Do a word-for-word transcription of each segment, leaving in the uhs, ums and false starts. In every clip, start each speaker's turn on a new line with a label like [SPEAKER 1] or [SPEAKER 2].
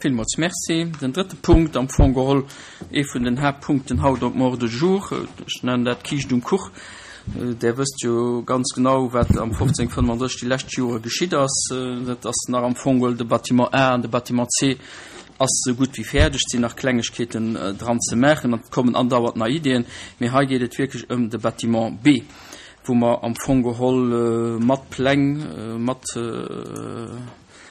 [SPEAKER 1] Villmools Merci. Den drëtte Punkt, am Fong geholl ee vun den Haaptpunkten haut op dem Ordre du jour, ech nennen dat Kiischt um Kuch. Där wësst jo ganz genau, wat am fofzéng fënnenddrësseg déi lescht Jore geschitt ass. Dat ass nach am Fong geholl de Bâtiment A an de Bâtiment C ass esou gutt wéi fäerdeg. Et sinn nach Klengegkeeten dran ze maachen an et kommen andauernd nei Ideeën. Mee hei geet et wierklech ëm de Bâtiment B, wou mer am Fong geholl mat Pläng, mat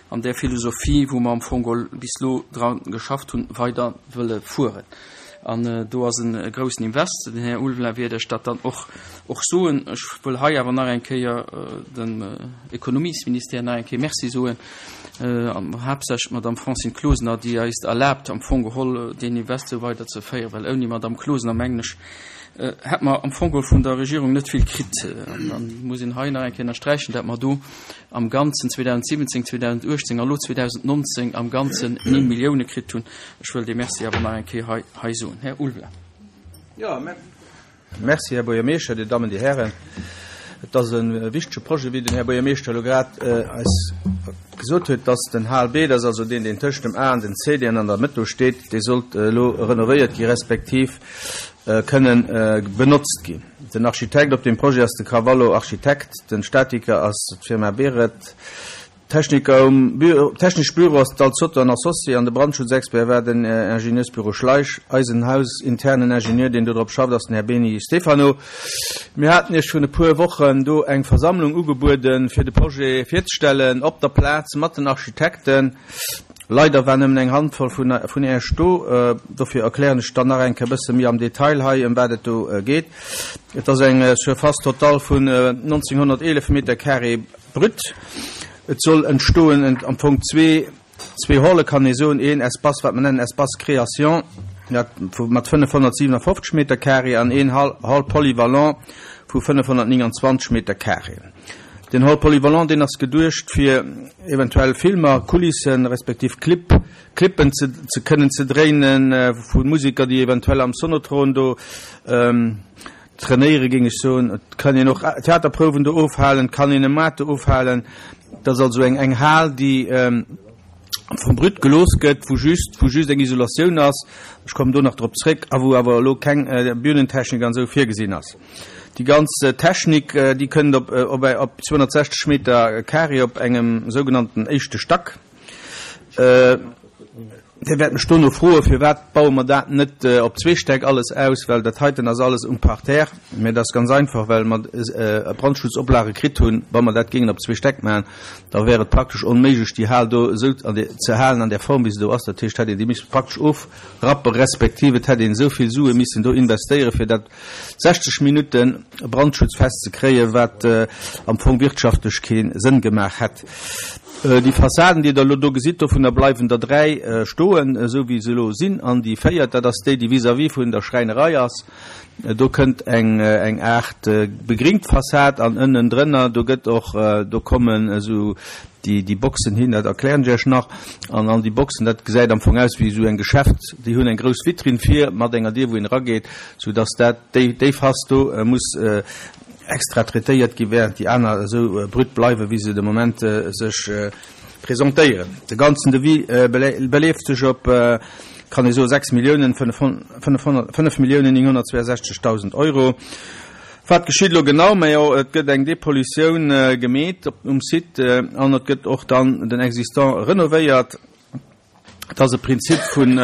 [SPEAKER 1] an där Philosophie, wou mer am Fong geholl bis elo dra geschafft hunn, weider wëlle fueren. An do ass e groussen Invest. Den Här Ulveling wäert Iech dat dann och och soen. Ech wëll hei awer nach eng Kéier dem Ekonomiesministère nach eng Kéier Merci soen, an haaptsächlech d'Madame Francine Closener, déi eis erlaabt, am Fong geholl deen Invest esou weiderzeféieren, well ouni Madame Closener, mengen ech, hätt mer am Fong geholl vun der Regierung net vill kritt. An dann muss een hei nach eng Kéier ënnersträichen, dat mer do am Ganzen zweedausendsiwwenzéng, zweedausendachtzéng a lo zweedausendnonzéng am Ganzen néng Millioune kritt hunn. Ech wëll dee Merci awer nach eng Kéier hei, hei soen. Här Ulveling.
[SPEAKER 2] Jo, Merci, Här Buergermeeschter, Dir Dammen, Dir Hären. Et ass e wichtege Projet, wéi den Här Buergermeeschter elo grad eis gesot huet, dass den H L B, dat ass also deen, deen tëscht dem A an dem C, deen an der Mëtt do steet, dee sollt elo renovéiert gi respektiv kënnen benotzt ginn. Den Architekt op deem Projet ass de Carvalho Architekt, den Statiker ass d'Firma Beret, Techniker um Büro, technesch Büro ass Dal Zotto an Associés an de Brandschutzexpert war den Ingenieursbüro Schleich. Eisen hausinternen Ingenieur, deen do drop schafft, ass den Här Beni Stefano. Mir haten Iech vrun e puer Wochen do eng Versammlung ugebueden, fir de Projet virzestellen op der Plaz mat den Architekten. Leider war nëmmen eng Handvoll vun vun Iech do. Dofir erklären ech dann nach eng Kéier e bësse méi am Detail hei, ëm wat et do geet. Et ass eng Surface totale vun nonzénghonnerteelef Meter carré brut. Et soll entstoen am Fong zwee, zwee Halle kann ee soen, een Espace, wat mer nennen Espace création, dat mat fënnefhonnertsiwenafofzeg Meter carré an een Hall, Hall polyvalent vu fënnefhonnertnénganzwanzeg Meter carré. Den Hall polyvalent, deen ass geduecht fir eventuell Filmer, Kulissen respektiv Clip, Clippen ze, ze kënnen ze dréinen vu Musiker, déi eventuell am Sonotron do trainéiere géing ech soen. Et kann een och Theaterprouwen do ofhalen, et kann een e Moart do ofhalen. Et ass also eng eng Hal, déi vum Brut gelooss gëtt, wou just wou just eng Isolatioun ass, ech kommen do nach drop zréck, a wou awer elo keng Bühnentechnik an esou virgesinn ass. Déi ganz Technik, déi kënnt op op op zweehonnertsechzeg Meter carré op engem sougenannten éischte Stack. Dir wäert mech dono froen, firwat baue mer dat net op zwee Stäck alles aus, well dat heiten ass alles um Parterre. Mä dat ass ganz einfach, well mer Brandschutzoplage kritt hunn. Wa mer dat géingen op zwee Stäck maachen, da wär et praktesch onméiglech, déi Hal do esou ze halen an där Form, wéi se do ass. Dat heescht, hätt een déi misse praktesch ofrappe respektiv et hätt een esou vill Sue missen do investéieren, fir dat sechzeg Minutte brandschutzfest ze kréien, wat am Fong wirtschaftlech kee Sënn gemaach hätt. Déi Fassaden, déi Der elo do gesitt, dovunner bleiwen der dräi stoen, esou wéi se elo sinn. An déi véiert, dat ass déi, déi vis-à-vis vun der Schräinerei ass. Do kënnt eng, eng Aart begringt Fassad an ënnendrënner, do gëtt och, do kommen esou déi, déi Boxen hin, dat erklären ech Iech nach. An an déi Boxen, dat gesäit am Fong aus wéi esou eng Geschäft, déi hunn eng grouss Vitrinn vir mat enger Dier, wou een erageet, soudass dat, déi, déi Face do muss extra traitéiert gi, während déi aner esou brut bleiwen, wéi se de Moment sech presentéieren. De ganzen Devis beleeft sech op, kann ee soen, sechs Milliounen fënnef Milliounen nénghonnertzweeasechzegdausend Euro. Wat geschitt elo genau? Majo, et gëtt eng Depollutioun gemeet um Site an et gëtt och dann den Existant renovéiert. Et ass e Prinzip vun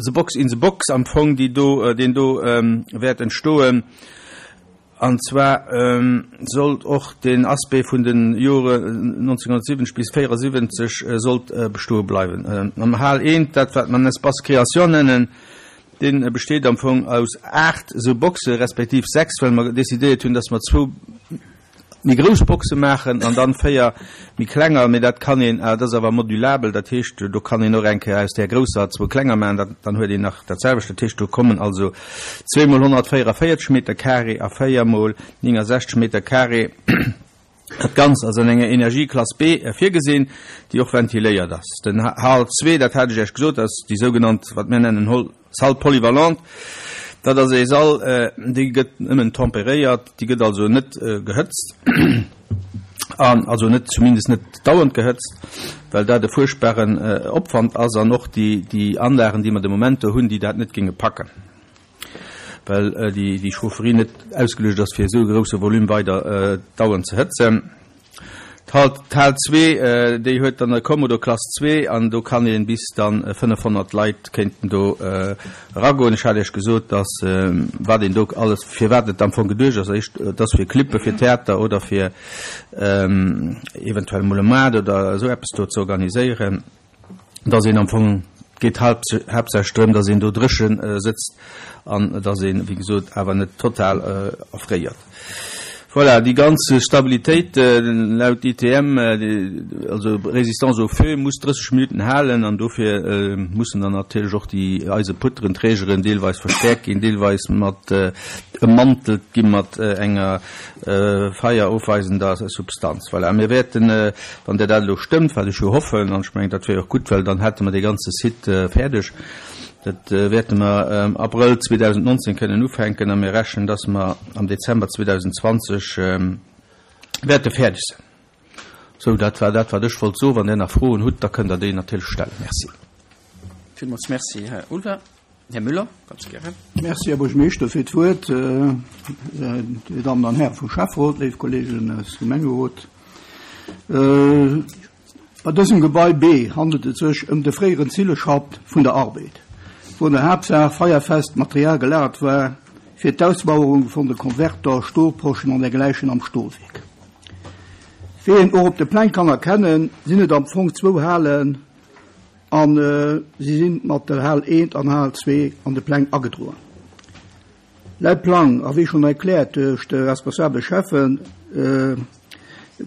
[SPEAKER 2] the box in the box am Fong, déi do, deen do wäert entstoen. An zwar sollt och den Aspect vun de Jore nonzénghonnertsiwwenzeg bis véierasiwwenzeg sollt bestoe bleiwen. Am Hal eent, dat wat mer Espace création nennen, dee besteet am Fong aus aacht esou Boxe respektiv sechs, well mer decidéiert hunn, dass mer zwou méi grouss Boxe maachen an dann véier méi klenger. Mee dat kann een, dat ass awer modulabel, dat heescht, do kann een och eng Kéier aus där grousser zwou klenger maachen, dat, dann huet een nach dat selwecht. Dat heescht, do kommen also zwee mol honnertvéierunvéierzeg Meter carré a véier mol néngensechzeg Meter carré. Dat Ganzt ass an enger Energieklass B virgesinn, déi och ventiléiert ass. Den Hall zwee, dat hat ech Iech gesot, ass déi sougenannt, wat mir nennen, Salle polyvalente. Dat ass ee Sall, dee gëtt nëmmen temperéiert, déi gëtt also net gehëtzt. An also net, zumindest net dauernd gehëtzt, well dat e fuerchtbaren Opwand ass an och déi, déi Anlagen, déi mer de Moment do hunn, déi dat net géinge packen, well déi, déi Chaufferie net ausgeluecht ass, fir esou e grousse Volume weider dauernd ze hëtzen. D'Hal, d'Hal zwee, déi huet dann e Kommodo Klass zwee an do kann een bis dann fënnefhonnert Leit kéinten do eragoen. Ech hat Iech gesot, dass wat een do alles, firwat et am Fong geduecht ass, éischt, et ass fir Clippe fir Theater oder fir eventuell emol e Moart oder esou eppes do ze organiséieren, dass een am Fong, et geet haaptsächlech drëm, dass een do dréche sëtzt an dass een, wéi gesot, awer net total erfréiert. Voilà, déi ganz Stabilitéit laut I T M, also Résistance au feu, muss drësseg Minuten halen an dofir mussen dann natierlech och déi Eiseputteren, Trägeren deelweis verstärkt ginn, deelweis mat emmantelt gi mat enger feierofweisender Substanz. Voilà, mir wäerten, wann der dat elo stëmmt, wat ech jo hoffen, an ech mengen, dat wär och gutt, well dann hätte mer dee ganze Site fäerdeg. Dat wäerte mer am Abrëll zweedausendnonzéng kënnen ufänken a mir rechnen, dass mer am Dezember zweedausendzwanzeg wäerte fäerdeg sinn. Sou, dat war dat, wat ech wollt soen. Wann Dir nach Froen hutt, da kënnt Der déi natierlech stellen. Merci.
[SPEAKER 1] Villmools Merci, Här Ulver. Här Müller, ganz gären.
[SPEAKER 3] Merci, Här Buergermeeschter, fir d'Wuert. Dir Dammen an Hären vum Schäfferot, léif Kollegen aus dem Gemengerot. Bei dësem Gebai B handelt et sech ëm de fréieren Zilleschapp vun der Arbed, wou an der Haaptsaach feierfest Material gelagert war fir d'Ausmauerung vun de Konverter, Stolposchen an dergläichen am Stolwierk. Wéi een och op de Pläng kann erkennen, sinn et am Fong zwou Halen an si sinn mat der Hal eent an Hal zwee an de Pläng agedroen. Laut Plang, a wéi schonn erkläert duerch de responsabele Cheffen,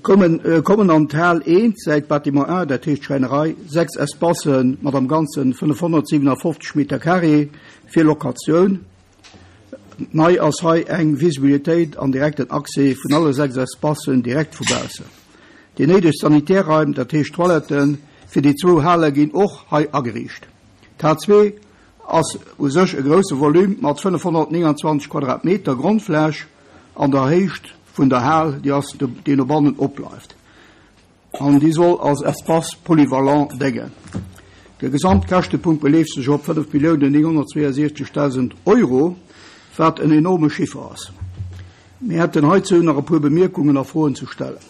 [SPEAKER 3] kommen, kommen an d'Hal eent säit Bâtiment A, dat heescht Schräinerei, sechs Espacen mat am Ganzen fënnefhonnertsiwenafofzeg Meter carré fir Lokatioun. Nei ass hei eng Visibilitéit an direkten Accès vun alle sechs Espacen direkt vu baussen. Déi néideg Sanitärraim, dat heescht Toiletten, fir déi zwou Hale ginn och hei ageriicht. D'Hal zwee ass u sech e grousse Volume mat fënnefhonnertneunundzwanzeg Quadratmeter Grondfläch an der Héicht vun der Hal, déi ass, déi no bannen opbleift. An déi soll als Espace polyvalent déngen. De Gesamtkäschtepunkt beleeft sech op fënnef Milliounen nénghonnertzweeënsiechzegdausend Euro, wat en enorme Chiffer ass. Mir hätten heizou nach e puer Bemierkungen a Froen ze stellen.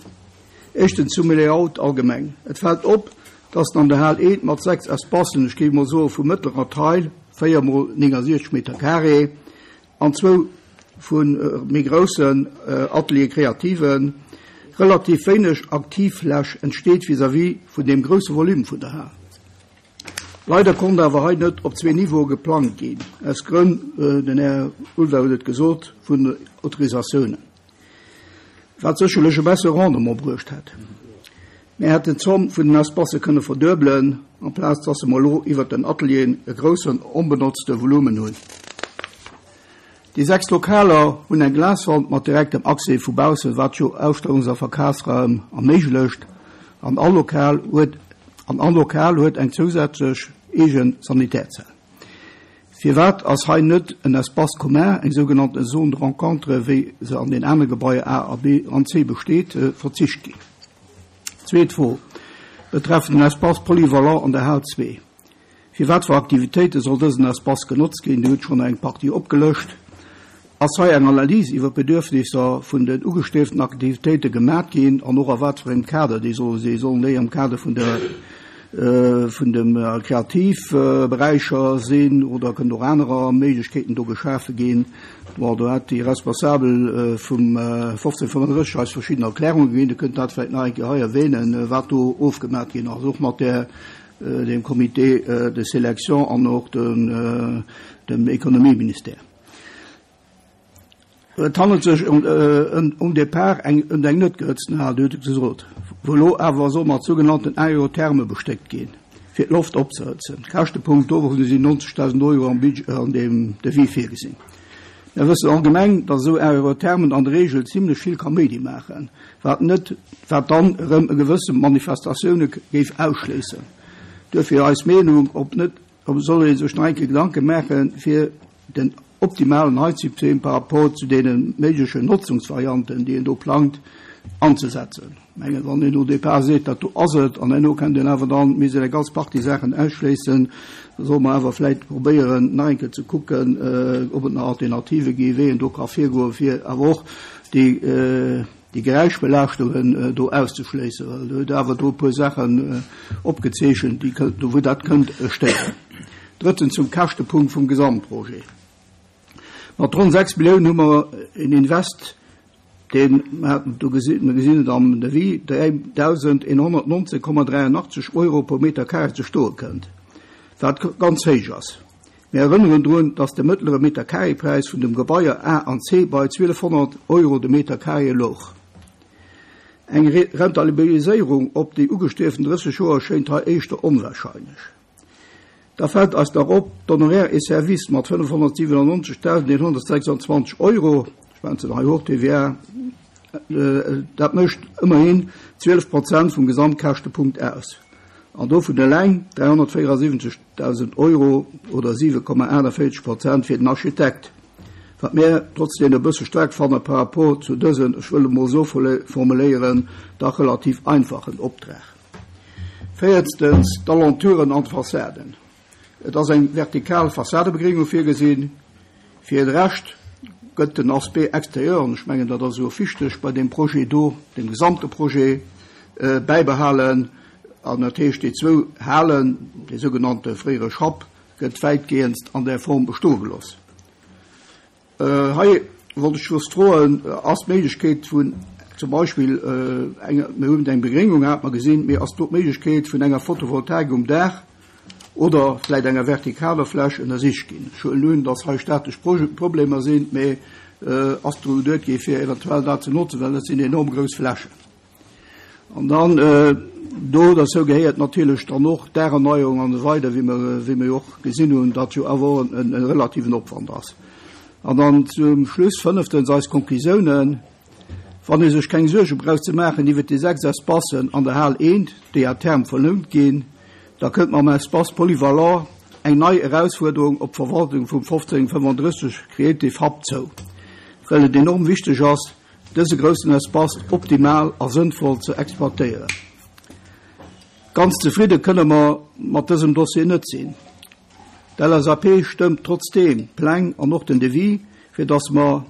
[SPEAKER 3] Éischtens zum Layout allgemeng. Et fällt op, dass an der Hal eent mat sechs Espacen, ech géif mol soen, vu mëttlerer Teil, véier mol neunundsechzeg Meter carré, an zwou vun méi groussen Atelier Kreativen, relativ wéineg Aktivfläch entsteet vis-à-vis vun dem grousse Volume vun der Hal. Leider konnt awer hei net op zwee Niveaue geplant ginn, aus Grënn, den Här Ulver huet et gesot, vun Autorisatiounen, wat sécherlech e bessere Rendement bruecht hätt. Mir hätten d'Zomm vun den Espace kënne verduebelen, amplaz dass se mol lo iwwer den Atelieren e groussen onbenotzte Volumen hunn. Déi sechs Lokaler hunn eng Glaswand mat direktem Accès vu baussen, wat jo Ausstellungs- a Verkafsraum erméiglecht, an all Lokal huet, an all Lokal huet eng zousätzlech eegen Sanitärzell. Firwat ass hei net en Espace commun, eng sougenannte Zone de rencontre, wéi se an den anere Gebaier A a B an C besteet, verzicht ginn? Zweet Fro betreffend den Espace polyvalent an der Hal zwee. Fir wat fir Aktivitéite soll dësen Espace genotzt ginn? Dir hutt schonn eng Partie opgelëscht. Ass hei eng Analyse iwwer d'Bedürfnisser vun den ugestrebten Aktivitéite gemaach ginn an och a wat fir engem Kader déi solle sinn? Sollen déi am Kader vun der, vun dem Kreativberäicher sinn oder kënnen och anerer Méiglechkeeten do geschafe ginn? Bon, do hat déi Responsabel vum fofzéng fënnenddrësseg eis verschiddene Erklärungen geginn. Dir kënnt dat vläicht nach eng Kéier hei erwähnen, wat do ofgemaach ginn ass, och mat der, dem Comité de sélection an och dem, dem Économieministère. Et handelt sech um, um Départ eng, um eng net gehëtzten Hal, huet gesot, wou lo awer so mat sogenannten Aerotherme bestéckt ginn, fir d'Loft opzehëtzen. Käschtepunkt do sinn neunzigtausend Euro am Budget, an dem Devis virgesinn. Wir wëssen allgemeng, dass esou Aerothermen an der Regel ziemlech vill Kaméidi maachen, wat net, wat dann erëm e gewësse Manifestatioune géif ausschléissen. Duerfir eis Meenung, ob net, ob soll ee sech nach eng Kéier Gedanke maachen, fir den optimalen Heizsystem par rapport zu den méiglechen Nutzungsvarianten, déi een do plangt, anzesetzen. Ech mengen, wann een au départ seet, dat do ass et, an herno kënnt een awer dann, misst een eng ganz Partie Saachen ausschléissen, da solle mer awer vläicht probéieren, nach eng Kéier ze kucken, ob et nach Alternative gi wéi een do ka virgoen, fir awer och déi, déi Geräischbelaaschtungen do auszeschléissen, well Der hutt awer do e puer Saachen opgezeechent, déi kënnt, wou dat kënnt stéieren. Drëttens zum Käschtepunkt vum Gesamtprojet. Mat ronn sechs Milliounen hu mer en Invest, deen, mer haten et do gesinn, mer gesinn et am Devis, dräidausendeenhonnertnonzeg Komma dräianachtzeg Euro pro Meter carré ze stoe kënnt, wat ganz héich ass. Mir erënneren drun, dass de mëttlere Meter-carré-Präis vun dem Gebaier A an C bei zwielefhonnert Euro de Meter carré louch. Eng Rentabiliséierung op déi ugestrieften drësseg Joer schéint hei éischter onwahrscheinlech. Da fält eis nach op, d'Honoraires et services mat fënnefhonnertsiwwenannonzegdausendeenhonnertsechsundzwanzeg Euro, ech schwätzen hei hors T V A, dat mécht ëmmerhin zwielef Prozent vum Gesamtkäschtepunkt aus. An dovun eleng dräihonnertvéierasiwwenzegdausend Euro oder siwe Komma aachtenvéierzeg Prozent fir den Architekt, wat mir trotzdeem e bësse staark fanne par rapport zu dësen, ech wëll emol esou formuléieren, dach relativ einfachen Optrag. Véiertens, d'Alentouren an d'Fassaden. Et ass eng vertikal Fassadebegréngung virgesinn. Fir de Rescht gëtt den Aspect extérieur, an ech mengen, dat ass jo wichteg bei deem Projet do, dem gesamte Projet, bäibehalen. An dat heescht, déi zwou Halen, dee sougenannte fréiere Schapp, gëtt wäitgehendst an där Form bestoe gelooss. Hei wollt ech just froen, ass d'Méiglechkeet vun zum Beispill enger, mir hunn eng Begréngung, hat mer gesinn, mee ass do d'Méiglechkeet vun enger Photovoltaik um Daach oder vläicht enger vertikaler Fläch ënnersicht ginn? Ech huelen un, dass hei statesch Problemer sinn, mee ass dru geduet gi fir eventuell dat ze notzen, well dat sinn enorm grouss Flächen. An dann do derzou gehéiert natierlech dann och d'Daacherneuerung an esou weider, wéi mer, wéi mer jo och gesinn hunn, dat jo awer och en relativen Opwand ass. An dann zum Schluss fënneftens eis Konklusiounen. Wann ee sech keng Suerge brauch ze maachen iwwert déi sechs Espacen an der Hal eent, déi à terme verlount ginn, da kënnt mam Espace polyvalent eng nei Erausfuerderung op d'Verwaltung vum fofzéng fënnfandrësseg Creative Hub zou, well et enorm wichteg ass, dëse groussen Espace optimal a sënnvoll ze exploitéieren. Ganz zefridde kënne mer mat dësem Dossier net sinn. D'L S A P stëmmt trotzdeem d'Pläng an och den Devis, fir datt mer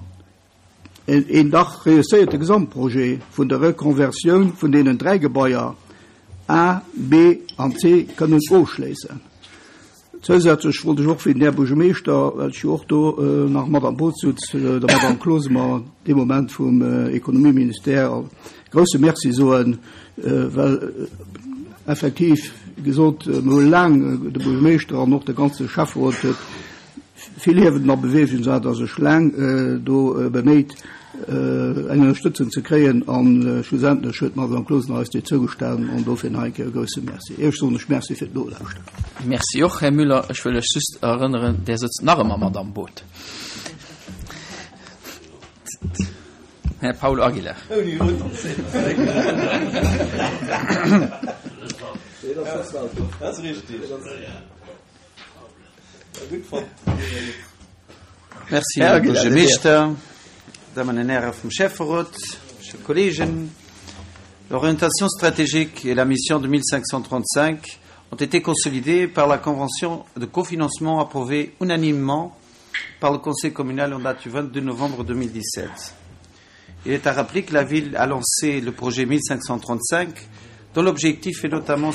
[SPEAKER 3] een dach reusséierte Gesamtprojet vun der Rekonversioun vun deenen dräi Gebaier A, B an C kënnen ofschléissen. Zousätzlech wollt ech och fir den Här Buergermeeschter, well ech jo och do nach mat am Boot sutz, der Madame Closemer dee Moment vum Ekonomieministère e grouse Merci soen, well effektiv gesot, mir hu laang, de Buergermeeschter an och de ganze Schäfferot huet vill Hiewen a Beweegung gesat a sech laang do beméit, eng Ënnerstëtzung ze kréien a schlussendlech huet d'Madame Closener eis déi zougestanen an dofir nach eng Kéier e grouse Merci. Iech soen ech Merci fir d'Nolauschteren.
[SPEAKER 1] Merci och, Här Müller. Ech wëll lech just erënneren, Där sëtzt nach ëmmer mat am Boot. Här Paul Aguilar.
[SPEAKER 4] Merci, Här Buergermeeschter, Dammen an Häre vum Schäfferot, chers Kollegen. L'orientation stratégique et la mission de mille cinq cent trente-cinq ont été consolidées par la convention de cofinancement approuvée unanimement par le Conseil communal en date du vingt-deux novembre deux mille dix-sept. Il est à rappeler que la ville a lancé le projet mille cinq cent trente-cinq dont l'objectif est notamment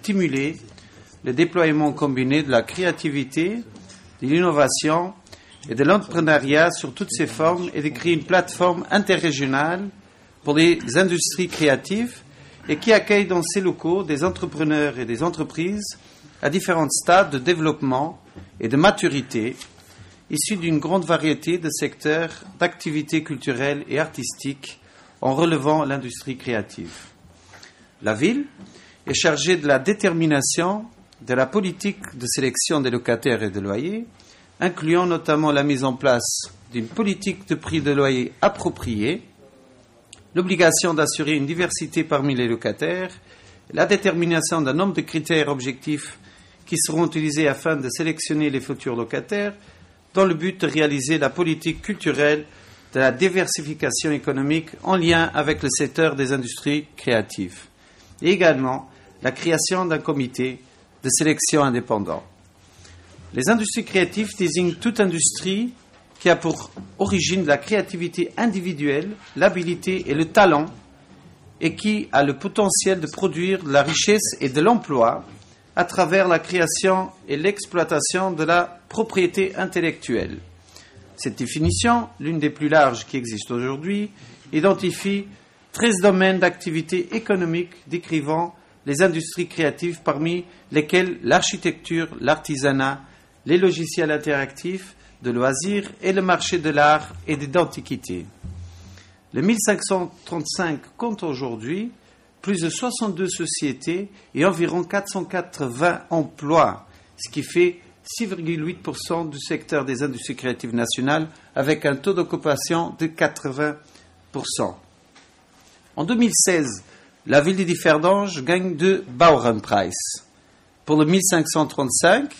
[SPEAKER 4] stimuler le déploiement combiné de la créativité, de l'innovation et de l'entrepreneuriat sur toutes ses formes et de créer une plateforme interrégionale pour les industries créatives et qui accueille dans ses locaux des entrepreneurs et des entreprises à différents stades de développement et de maturité, issus d'une grande variété de secteurs d'activités culturelles et artistiques en relevant l'industrie créative. La ville est chargée de la détermination de la politique de sélection des locataires et de loyers, incluant notamment la mise en place d'une politique de prix de loyer appropriée, l'obligation d'assurer une diversité parmi les locataires, la détermination d'un nombre de critères objectifs qui seront utilisés afin de sélectionner les futurs locataires, dans le but de réaliser la politique culturelle de la diversification économique en lien avec le secteur des industries créatives. Et également la création d'un comité de sélection indépendant. Les industries créatives désignent toute industrie qui a pour origine la créativité individuelle, l'habilité et le talent et qui a le potentiel de produire de la richesse et de l'emploi à travers la création et l'exploitation de la propriété intellectuelle. Cette définition, l'une des plus larges qui existent aujourd'hui, identifie treize domaines d'activité économique décrivant les industries créatives parmi lesquelles l'architecture, l'artisanat, les logiciels interactifs, de loisirs et le marché de l'art et des antiquités. Le mille cinq cent trente-cinq compte aujourd'hui plus de soixante-deux sociétés et environ quatre cent quatre-vingts emplois, ce qui fait six virgule huit pour cent du secteur des industries créatives nationales, avec un taux d'occupation de quatre-vingts pour cent. En deux mille seize, la ville de Differdange gagne deux Bauernpreis pour le mille cinq cent trente-cinq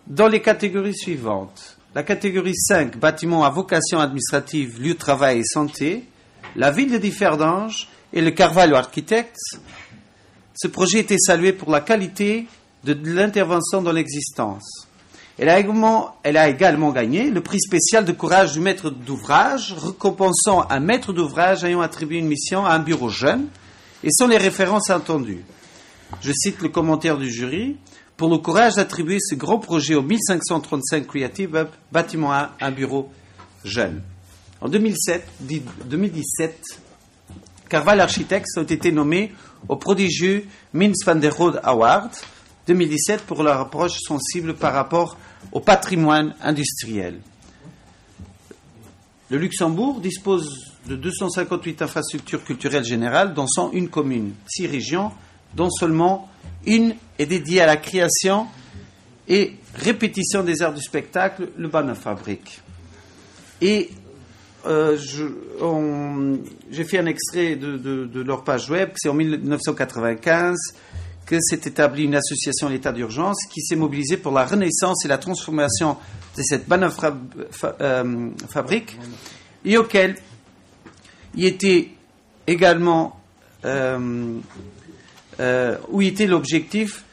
[SPEAKER 4] dans les catégories suivantes. La catégorie cinq, bâtiments à vocation administrative, lieu de travail et santé, la ville de Differdange et le Carvalho Architectes. Ce projet était salué pour la qualité de l'intervention dans l'existence. Elle a également, elle a également gagné le prix spécial de courage du maître d'ouvrage, récompensant un maître d'ouvrage ayant attribué une mission à un bureau jeune, et sont les références attendues. Je cite le commentaire du jury. Pour le courage d'attribuer ce grand projet au mille cinq cent trente-cinq Creative Hub, bâtiment A, un bureau jeune. En deux mille sept, dix, deux mille dix-sept, Carvalho Architectes ont été nommés au prodigieux Mies van der Rohe Award deux mille dix-sept pour leur approche sensible par rapport au patrimoine industriel. Le Luxembourg dispose de deux cent cinquante-huit infrastructures culturelles générales, dont cent une communes, six régions, dont seulement une est dédiée à la création et répétition des arts du spectacle, le Bannenfabrik. Et, euh, je, on, j'ai fait un extrait de, de, de leur page web, c'est en mille neuf cent quatre-vingt-quinze que s'est établie une association à l'état d'urgence qui s'est mobilisée pour la renaissance et la transformation de cette Bannenfabrique, et auquel il était également, euh, euh, où était l'objectif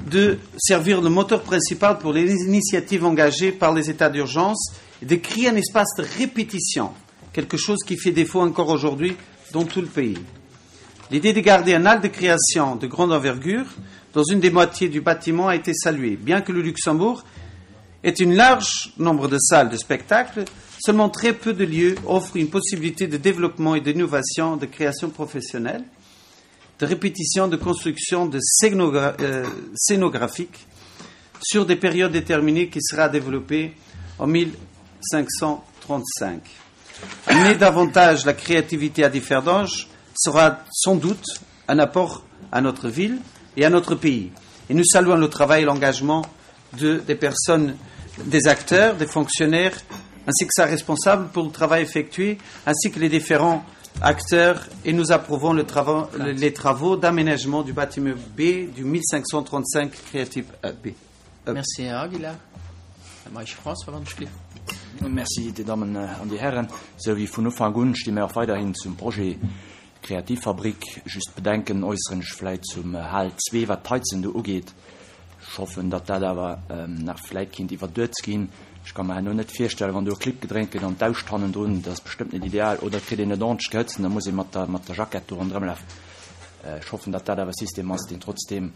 [SPEAKER 4] de servir le moteur principal pour les initiatives engagées par les états d'urgence et de créer un espace de répétition, quelque chose qui fait défaut encore aujourd'hui dans tout le pays. L'idée de garder un hall de création de grande envergure dans une des moitiés du bâtiment a été saluée. Bien que le Luxembourg ait un large nombre de salles de spectacle, seulement très peu de lieux offrent une possibilité de développement et d'innovation de création professionnelle, de répétition, de construction de scénogra-, euh, scénographique sur des périodes déterminées qui sera développée en mille cinq cent trente-cinq. Amener davantage la créativité à Differdange sera sans doute un apport à notre ville et à notre pays. Et nous saluons le travail et l'engagement de, des personnes, des acteurs, des fonctionnaires, ainsi que sa responsable pour le travail effectué, ainsi que les différents acteurs, et nous approuvons le trava-, les travaux d'aménagement du bâtiment B du mille cinq cent trente-cinq Creative B.
[SPEAKER 1] Merci, Herr Aguilar. Herr Meisch François van Schliff.
[SPEAKER 5] Merci, die Damen und die Herren. So wie von Anfang an stimmen wir auch weiterhin zum Projet Kreativfabrik. Just bedenken äußeren ich vielleicht zum H zwei, was Heizen da angeht. Ich hoffe, dass das aber, ähm, nach vielleicht kind über dort gehen. Ich kann mir noch nicht vorstellen, wenn du einen Clip gedreht wird und Tauschtannen drin, das ist bestimmt nicht ideal. Oder kriegt ihr nicht ordentlich geheizt, dann muss ich mit der, mit der Jackette da rumlaufen. Äh, ich hoffe, dass das aber ein System ist, den trotzdem,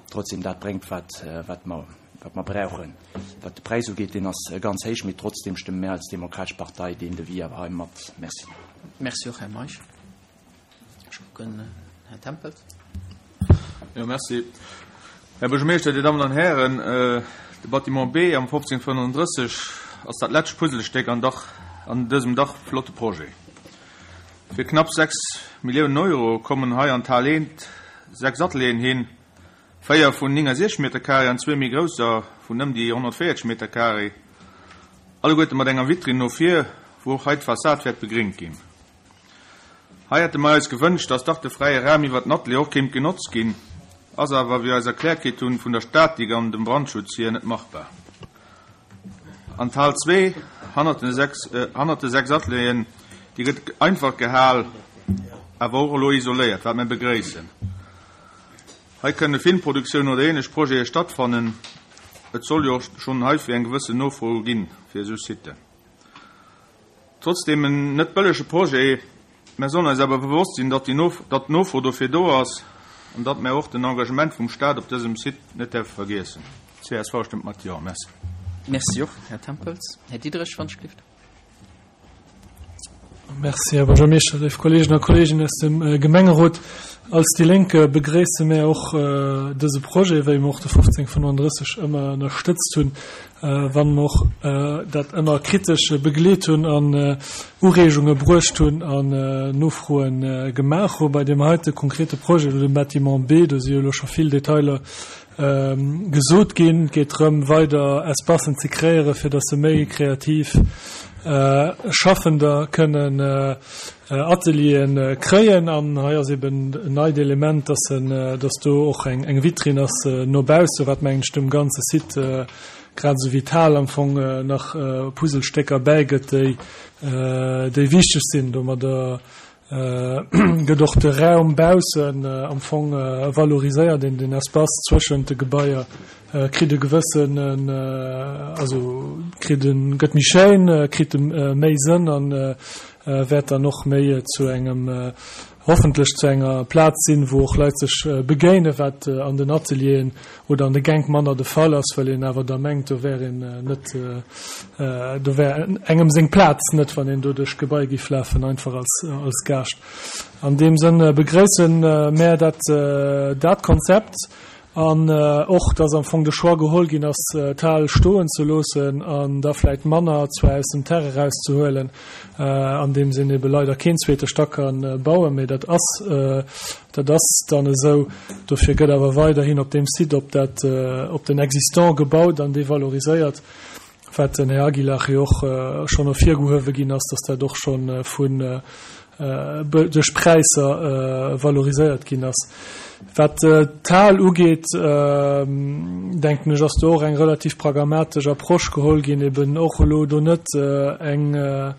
[SPEAKER 5] trotzdem das bringt, was, äh, was wir, was wir brauchen. Was den Preis angeht, den ist ganz hoch, mit trotzdem stimmen mehr als Demokratische Partei, den wir aber haben. Merci.
[SPEAKER 1] Merci auch, Herr Meisch. Ich gucke, Herr Tempels.
[SPEAKER 6] Ja, merci. Herr Bürgermeister, die Damen und Herren, äh, de Bâtiment B am fünfzehn fünfunddreißig ass dat letzte Puzzlestück an, Dach, an diesem Dach flotte Projet. Für knapp sechs Millionen Euro kommen hei an Talent sechs Atelieren hin, vier von neunundsechzig Meter Carré an zwei mehr größer von um die hundertvierzig Meter Carré. Alle gute mit enger Vitrine noch vier, wo auch heute Fassade wird begringt gehen. Hei hätte mir uns gewünscht, dass doch der freie Raum über Atelier auch käme genutzt gehen. Also aber wie als erklärt geht tun von der Statik an dem Brandschutz hier nicht machbar. An Teil zwei hannert de sechs, äh, hannert de sechs Atelieren, déi gëtt einfach gehal, awer och elo isoléiert, wat mir begréissen. Hei kënne Filmproduktiounen oder ähnlech Projete stattfannen. Et soll jo schonn heifir eng gewëssen Nofro ginn fir esou Siten. Trotzdem en net bëllege Projet, mir sollen eis awer bewosst sinn, datt déi Nof datt d'Nofro dofir do ass an datt mir och den Engagement vum Staat op dësem Site net däerfe vergiessen. C S V stëmmt mat Jo. Merci.
[SPEAKER 1] Merci och, Här Tempels. Här Diderich, wann ech gelift.
[SPEAKER 7] Merci, Här Buergermeeschter, léif Kolleegen a Kolleeginnen aus dem äh, Gemengerot. Als déi Lénk begréisse mir och äh, dëse Projet, wéi mir och de fofzéng fënnenddrësseg ëmmer ënnerstëtzt hunn, äh, wann mir och äh, dat ëmmer kritesch begleet hunn an äh, Ureegunge bruecht hunn an äh, Nofroen äh, gemaach hunn. Bei deem heite konkrete Projet, dem Bâtiment B, do si jo scho vill Detailer ähm, gesot ginn, geet drëm weider Espacen ze kreéieren, fir dass se méi kreativ äh, Schaffender kënnen äh, äh, Atelieren äh, kréien an hei ass eben en neit Element, dass, en, äh, dass do och eng, eng Vitrine ass äh, no bausse, wat mengen ech dem ganze Site äh, grad sou vital am Fong äh, nach äh, Puzzlestécker bäigëtt, déi, äh, déi wichteg sinn, domadder äh, gëtt och de Raum baussen äh, am Fong äh, valoriséiert den den Espace zwëschent de Gebaier äh, kritt e gewëssen äh, also kritt en gëtt méi schéin äh, kritt äh, méi Sënn an äh, äh, wäert dann och méi äh, zu engem äh, hoffentlech zu enger Plaz sinn, wou och Leit sech äh, begéine wat äh, an den Atelieren oder an de Gäng manner de Fall ass, well een awer da mengt, do wär een äh, net äh, do wär engem seng Plaz net, wann een do duerch Gebai géif lafen einfach als, als Gaascht. An deem Sënn äh, begréissen äh, mir dat äh, dat Konzept an äh, och dass am Fong de Choix geholl ginn ass äh, d'Hal stoen ze loossen an da vläicht manner zwar aus dem Terrain rauszehuelen äh, an deem Sënn ebe leider keen zweete Stack kann äh, bauen, mee dat ass äh, dat ass dann esou dofir gëtt awer weiderhin op deem Site op dat äh, op den Existant gebaut an dee valoriséiert wat den Här Aguilar jo och äh, schonn ervirgehuewe ginn ass, dass dat och schonn äh, vun äh, duerch Präisser äh, valoriséiert ginn ass. Wat äh, d'Hal ugeet äh, denken ech ass do och eng relativ pragmatesch Approche geholl ginn eben och elo do net äh, eng äh,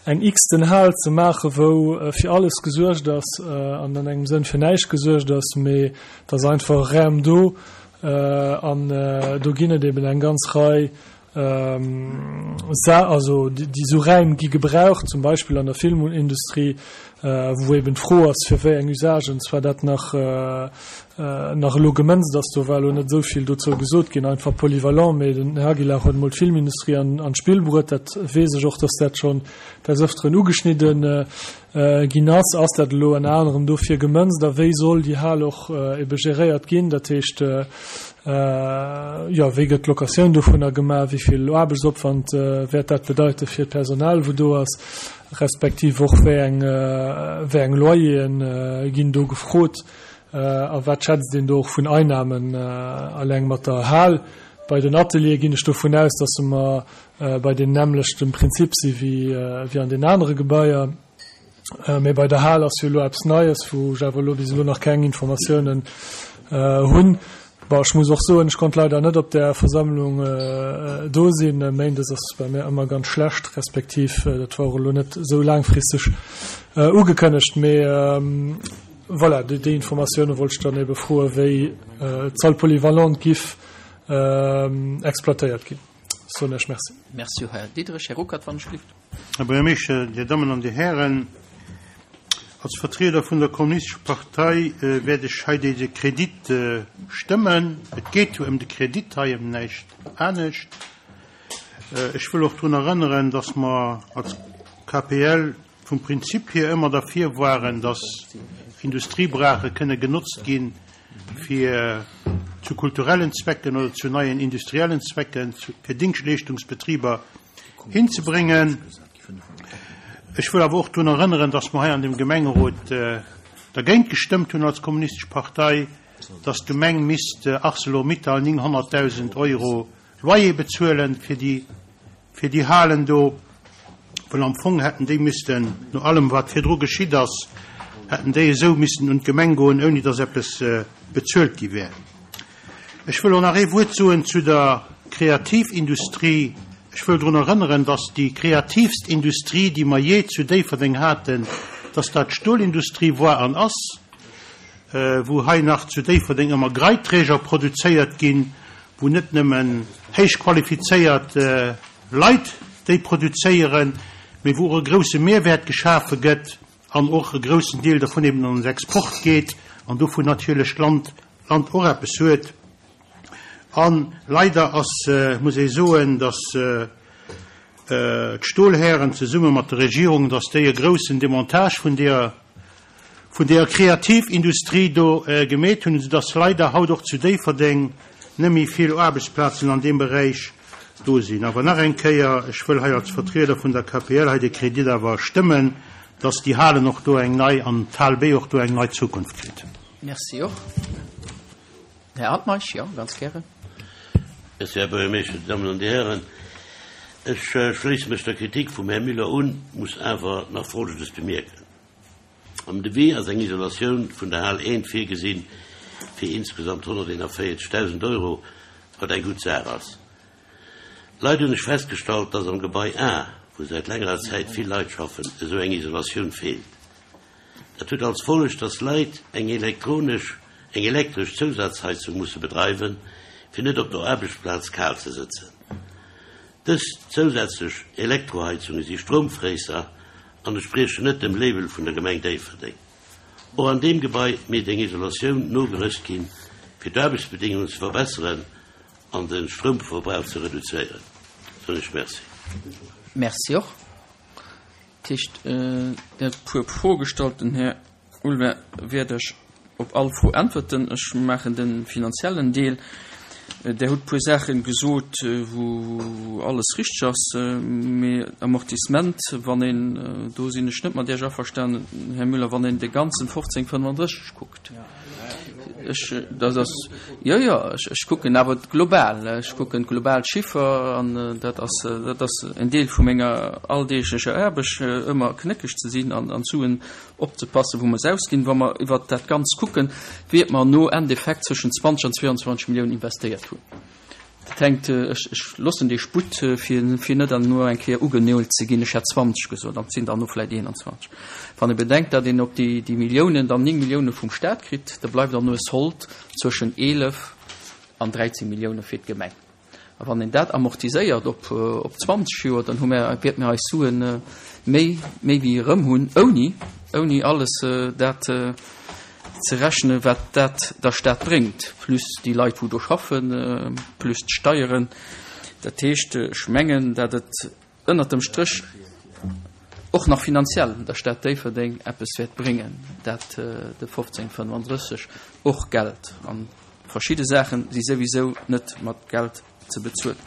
[SPEAKER 7] eng x-ten Hal ze maachen, wou äh, fir alles gesuergt ass äh, an an engem Sënn fir näischt gesuergt ass, mee dass einfach Raum do äh, an äh, do ginn et eben eng ganz Rei ähm, also déi, déi sou Raim gi gebraucht zum Beispill an der Filmindustrie äh, wou eben d'Fro ass fir wéi eng Usagen zwar dat nach äh, äh, nach elo gemënzt ass do war elo net souvill dozou gesot ginn einfach polyvalent mee den Här Aguilar huet mol d'Filmindustrie an, an d'Spill bruet dat weess ech och dass dat schonn des Öfteren ugeschnidden äh, äh, ginn ass ass dat elo ënner anerem dofir gemënzt da wéi soll déi Hal och äh, ebe geréiert ginn dat heescht äh, äh, ja wéi gëtt d'Locatioun dovunner gemaach wéi vill Aarbechtsopwand äh, wäert dat bedeite fir d'Personal wou do ass respektiv och wéi eng äh, wéi eng Loyeren äh, ginn do gefrot äh, a wat schätzt een do och vun Einnamen äh, alleng mat der Hal bei den Ateliere ginn ech dovun aus dass mer äh, bei deem nämmlechte Prinzip si wéi äh, wéi an den anere Gebaier äh, mee bei der Hal ass jo lo eppes Neies wou ech awer lo bis elo nach keng Informatiounen äh, hunn Bon, ech muss och soen, ech konnt leider net op der Versammlung äh, do sinn méindes ass bei mir ëmmer ganz schlecht respektiv äh, dat war lo net sou laangfristeg äh, ugekënnegt mee ähm, voilà, déi, déi Informatioune wollt ech dann ebe froen, wéi äh, d'Salle polyvalente giff äh, exploitéiert ginn. Soen ech Merci.
[SPEAKER 1] Merci Här Diderich, Här Ruckert wann ech gelift.
[SPEAKER 8] Här Buergermeeschter, Dir Dammen an Dir Hären, als Vertrieder vun der Kommunistescher Partei äh, wäert ech hei dëse Kredit äh, stëmmen. Et geet jo ëm de Kredit hei ëm näischt anescht. Äh, ech wëll och drun erënneren, dass mer als K P L vum Prinzip hier ëmmer derfir waren, dass Industriebraache kënne genotzt ginn fir zu kulturellen Zwecken oder zu neien industriellen Zwecken, fir Dingschtleeschtungsbetriber hinzebréngen. Ech wëll awer och drun erënneren, dass mer hei an dem Gemengerot äh, dergéint gestëmmt hunn als Kommunistesch Partei, dass d'Gemeng misst äh, ArcelorMittal nénghonnertdausend Euro Loyer bezuelen fir déi, fir déi Halen do, well am Fong hätten déi missten no allem wat virdru geschitt ass, hätten déi esou missten un d'Gemeng goen, ouni dass eppes äh, bezuelt gi wär. Ech wëll och nach ee Wuert soen zu der Kreativindustrie. Ech wëll drun erënneren, dass déi kreativst Industrie, déi mer jee zu Déifferdeng haten, dass dat d'Stolindustrie war an ass, wou hei nach zu Déifferdeng ëmmer Greitträger produzéiert ginn, wou net nëmmen héich qualifizéiert Leit déi produzéieren, mee wou och e grousse Mehrwäert geschafe gëtt an och e groussen Deel dervun eben an den Export geet an dovun natierlech d'Land Land och eppes huet. A leider ass, muss ee soen, datt d'Stolhären zesumme mat der Regierung, datt déi e groussen Demontage vun deeër, vun deeër Kreativindustrie do gemeet hunn, esoudatt leider haut och zu Déifferdeng net méi vill Aarbechtsplazen an deem Beräich do sinn. Awer nach eng Kéier, ech wëll hei als Vertrieder vun der K P L hei de Kredit awer stëmmen, datt déi Halen och do eng nei an d'Hal B och do eng nei Zukunft kritt.
[SPEAKER 1] Merci och. Här Altmeisch, jo, ganz gären.
[SPEAKER 9] Merci, Här Buergermeeschter, Dir Dammen an Dir Hären. Ech schléisse mech der Kritik vum Här Müller un, muss awer nach Folgendes bemierken. Am Devis ass eng Isolatioun vun der Hal eent virgesinn fir insgesamt honnerteenanvéierzegdausend Euro, wat eng gutt Saach ass. Leider hunn ech festgestallt, dass am Gebai A, wou säit längerer Zäit vill Leit schaffen, esou eng Isolatioun feelt. Dat huet als Folleg, dass Leit eng elektronesch, eng elektresch Zousazheizung musse bedreiwen, fir net op der Aarbechtsplaz kal ze sëtzen. Dës zousätzlech Elektroheizunge si Stroumfréisser an entspriechen net dem Label vun der Gemeng Déifferdeng. Och an deem Gebai misst eng Isolatioun nogerëscht ginn, fir d'Aarbechtsbedingungen ze verbesseren an de Stroumverbrauch ze reduzéieren. Soen ech Merci.
[SPEAKER 1] Merci och. Dat heescht, Dir hutt e puer Froe gestallt. Den Här Ulmer wäert Iech op all Fro äntwerten. Ech maachen de finanziellen Deel. Der hutt puer Saache gesot, wou alles richteg ass, mee Amortissement, wann een, do sinn ech net mat Iech averstanen, Här Müller, wann een de ganzen fofzéng fënnenddrësseg kuckt. Ech, dat ass, jo, jo, ech, ech kucken awer global, ech kucken global Chiffer an dat ass, dat ass en Deel vu menger alldeeglecher Aarbecht, ëmmer knéckeg ze sinn an, an Suen opzepassen, wou mer se ausginn. Wa mer iwwert dat Ganzt kucken, wäert mer no Endeffekt zwëschen zwanzeg an zweiundzwanzeg Milliounen investéiert hunn. Dat hänkt, ech, ech loossen dee Sputt, fir, fir net dann no eng Kéier ugenölt ze ginn, ech hätt zwanzeg gesot, an et sinn dann no vläicht eenanzwanzeg. Wann ee bedenkt, datt een op déi, déi Milliounen dann néng Millioune vum Staat kritt, da bleift dann no e Sold zwëschen eelef an dräizéng Millioune fir d'Gemeng. A wann een dat amortiséiert op, op zwanzeg Joer, dann hu mer, wäerte mir eis Suen méi, méi wéi erëm hunn, ouni, ouni alles dat ze rechnen, wat dat der Stad bréngt, plus déi Leit, wou do schaffen, plus d'Steieren. Dat heescht, ech mengen, datt et ënnert dem Stréch och nach finanziell der Stad Déifferdeng eppes wäert bréngen, dat de fofzéng fënnenddrësseg och Geld. An verschidde Saache si souwisou net mat Geld ze bezuelen.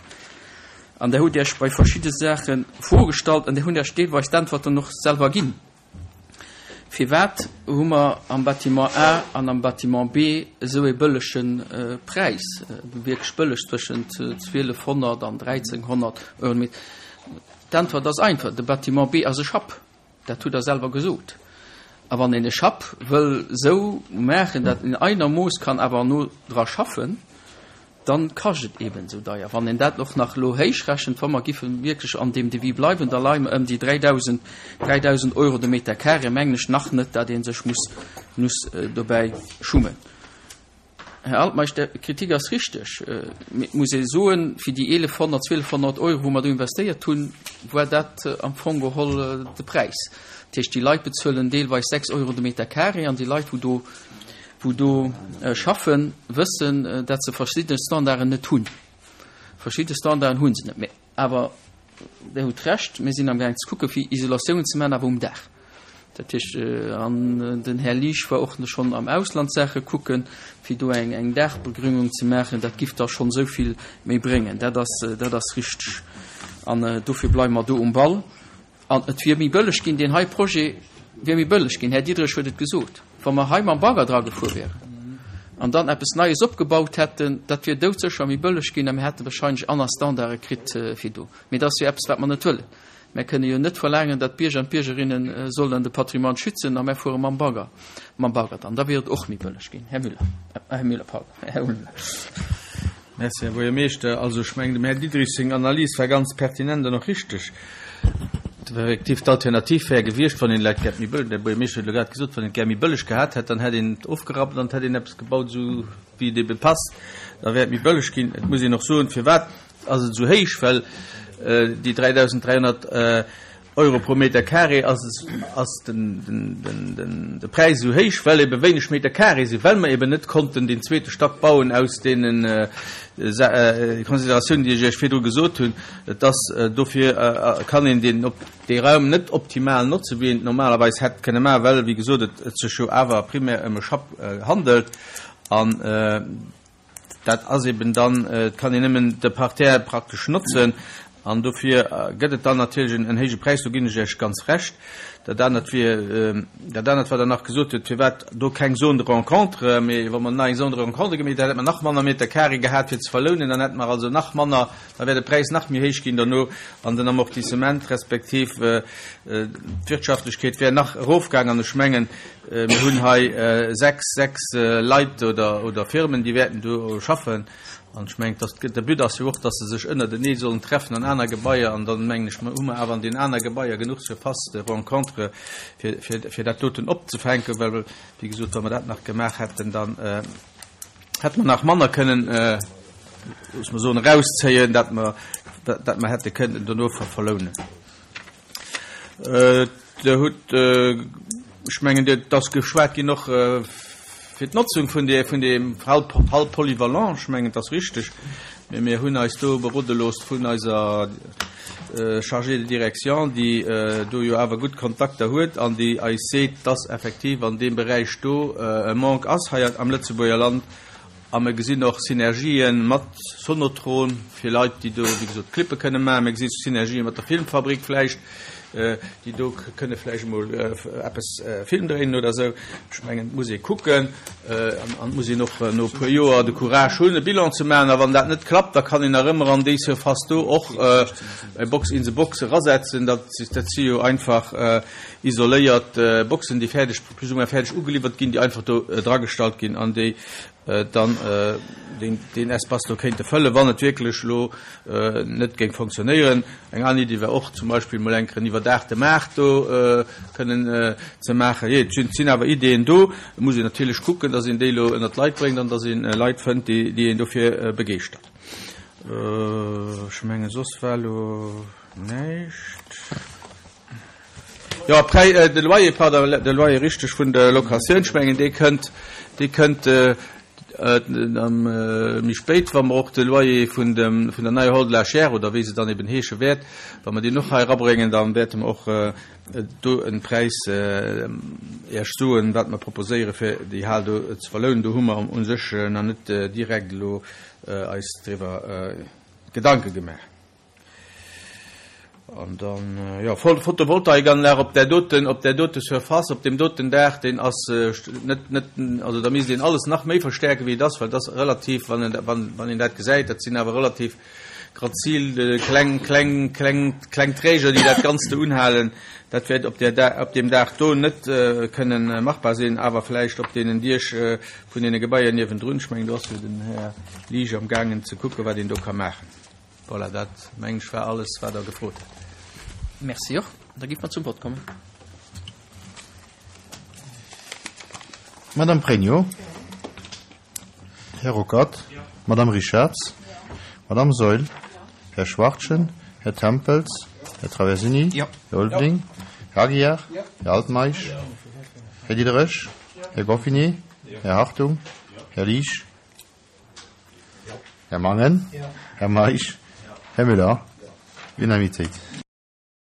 [SPEAKER 1] An Der hutt Iech bei verschidde Saache Froe gestallt an Dir hutt Iech deelweis d'Äntwerten och selwer ginn. Firwat hu mer am Bâtiment A an am Bâtiment B esou e bëllege Präis, wierklech bëlleg, zwëschent zwielefhonnert an dräizénghonnert Euro den Meter? D'Äntwert ass einfach, de Bâtiment B ass e Schapp. Dat hutt Der selwer gesot. A wann een e Schapp wëll esou maachen, datt een einermooss kann awer no dra schaffen, dann kascht et eben esou deier. Wann een dat och nach elo héich rechent, wa mer giffe wierklech an deem Devis bleiwen, da leie mer ëm déi dräidausend, dräidausend Euro de Meter carré, mengen ech nach net, datt ee sech muss, muss dobäi schummen. Här Altmeisch, Är Kritik ass richteg. Mee et muss ee soen, fir déi eelefhonnert, zwielefhonnert Euro, wou mer do investéiert hunn, war dat am Fong geholl de Präis. Dat heescht, déi Leit bezuelen deelweis sechs Euro de Meter carré an déi Leit, wou do, wou do schaffen, wëssen, datt se verschidde Standarden net hunn. Verschidde Standarden hu se net. Mee awer Der hutt Recht, mir sinn amgaang ze kucken, fir Isolatiounen ze maachen, awer um Daach. Dat heescht, an den Här Liesch war och schonn am Ausland Saache kucken, fir do eng, eng Daachbegrüngung ze maachen. Dat giff da schonn esou vill méi bréngen. Dat ass, dat ass richteg. An dofir bleiwe mer do um Ball. An et wier méi bëlleg ginn, deen hei Projet wier méi bëlleg ginn, Här Diderich huet et gesot, wa mer hei mam Bagger dra gefuer wären an dann eppes Neies opgebaut hätten, dat wier doudsécher méi bëlleg ginn a mir hätte wahrscheinlech aner Standarde kritt fir do. Mee dat ass jo eppes, wat mer net wëllen. Mer kënne jo net verlaangen, datt d'Bierger an d'Biergerinne sollen de Patrimoine schützen a mer fuere mam Bagger, mam Bagger dann. Da wier et och méi bëlleg ginn. Här Müller, Här Müller, pardon, Här Ulmer.
[SPEAKER 2] Merci, Här Buergermeeschter. Also ech mengen, dem Här Diderich seng Analys war ganz pertinent an och richteg. Effektiv, d'Alternativ wär gewiescht, wann een et gär méi bëlleg, der Buergermeeschter huet elo grad gesot, wann een et gär méi bëlleg gehat hätt, dann hätt een et ofgerappt an et hätt een eppes gebaut, esou wéi et ebe passt, da wär et méi bëlleg ginn. Et muss een och soen, firwat ass et esou héich, well déi dräidausend dräihonnert Euro pro Meter carré ass ass den, den, den, den, de Präis esou héich, well ebe wéineg Meter carré sinn, well mer eben net konnten den zweete Stack bauen aus deenen äh, äh, Consideratiounen, déi ech Iech virdru gesot hunn. Et ass äh, dofir äh, kann een den op de Raum net optimal notzen, wéi een normalerweis hätt kënne maachen, well wéi gesot et, et sech jo awer primär ëm e Schapp äh, handelt an äh, dat ass eben dann äh, kann een nëmmen de Parterre praktesch notzen an dofir äh, gëtt et dann natierlech en, en héije Präis, do ginn ech Iech ganz recht. Dat anert wier äh, dat anert, wat Der nach gesot hutt, firwat do keng Zone de rencontre, mee wa mer nach eng Zone de rencontre gemaach, da hätt mer nach manner Meter carré gehat fir ze verlounen, dann hätt mer also nach manner, da wär de Präis nach méi héich ginn derno an den Amortissement respektiv äh, äh, d'Wirtschaftlechkeet wär nach erofgaangen. An ech mengen, äh, mir hunn hei äh, sechs, sechs äh, Leit oder, oder Firmen, déi wäerten do schaffen. An ech mengen, dass de But ass jo och, dass se sech ënnertenee sollen treffen an aner Gebaier an dann mengen ech, hu mer awer an den aner Gebaier genuch Surface de rencontre fir, fir, fir dat doten opzefänken, well wéi gesot, wa mer dat nach gemaach hätten, dann äh, hätte mer nach manner kënnen äh, muss mer soen, rauszéien, dat mer dat, dat mer hätte kënnen dono ver verlounen. Äh, Der hutt äh, ech mengen, dat ass geschwat ginn nach äh, fir d'Notzung vun der vun dem Hall, Hall polyvalent, ech mengen, dat ass richteg. Mir, mir hunn eis do berode gelooss vun eiser äh, Chargée de direction, déi äh, do jo awer gutt Kontakter huet an déi eis seet, dass effektiv an deem Beräich do äh, e Manque ass hei am Lëtzebuerger Land. A mir gesinn och Synergien mat Sonotron fir Leit, déi do wéi gesot Clippe kënne maachen. Mir gesinn Synergien mat der Filmfabrik vläicht, äh, déi do kënne vläicht mol äh, eppes äh, Film dréinen oder sou. Ech mengen, muss ee kucken äh, an, an muss een och äh, no puer Joer de Courage hunn, e Bilan ze maachen. A wann dat net klappt, da kann een nach ëmmer an déi Surface do och äh, eng Box in the Box erasetzen. Dat, dat si jo einfach äh, isoléiert äh, Boxen, déi fäerdeg plus ou moins fäerdeg ugeliwwert ginn, déi einfach do äh, dragestallt ginn an déi äh, dann äh, den, den Espace do kéinte fëllen, wann et wierklech lo äh, net géing funktionéieren. Eng aner Iddi wär och zum Beispill mol eng Kéier en iwwerdaachte Maart do äh, kënnen äh, ze maachen. Je, et sinn, sinn awer Ideen do, muss een natierlech kucken, dass een déi lo ënnert d'Leit bréngt an dass een äh, Leit fënnt, déi, déi een dofir äh, begeeschtert. Äh, ech menge soss war lo näischt. Ja, Präis, äh, de Loyer, pardon, de Loyer richteg vun der Locatioun, ech mengen, dee kënnt, dee kënnt äh, äh, am, äh, méi spéit, wa mer och de Loyer vun dem vun der neier Hall de la Chaire oder wéi se dann eben heesche wäert, wa mer déi nach hei erabréngen, dann wäerte mer och äh, do en Präis äh, Iech soen, wat mer proposéiere fir déi Hal do ze verlounen. Do hu mer u sech äh, nach net äh, direkt lo äh, eis driwwer äh, Gedanke gemaach. An dann äh, ja, Photovoltaikanlag op der doten op der dote Surface, op dem doten Daach, deen ass äh, net net also da misst een alles nach méi verstäerke wéi dat, well dat relativ wann een, wann, wann een dat gesäit, dat sinn awer relativ grazil äh, kleng kleng kleng kleng Träger, déi dat Ganzt unhalen. Dat wäert op der op dem Daach do net äh, kënnen äh, machbar sinn, awer vläicht op deenen Diech äh, vun deene Gebaier niewendrun. Ech mengen, do ass den Här Liege am gaangen ze kucke wat een do ka maachen. Voilà, dat mengen ech war alles, wat Der gefrot hutt.
[SPEAKER 1] Merci och. Da gi mer zum Vott kommen.
[SPEAKER 10] Madame Pregno. Här Ruckert. Madame Richards. Madame Seul. Här Schwartchen. Här Tempels. Här Traversini.
[SPEAKER 1] Ja.
[SPEAKER 10] Här Ulveling. Här Aguiar. Här Altmeisch. Här Diderich. Här Goffinet. Här Hartung. Här Liesch. Här Mangen. Här Meisch. Här Müller. Unanimitéit.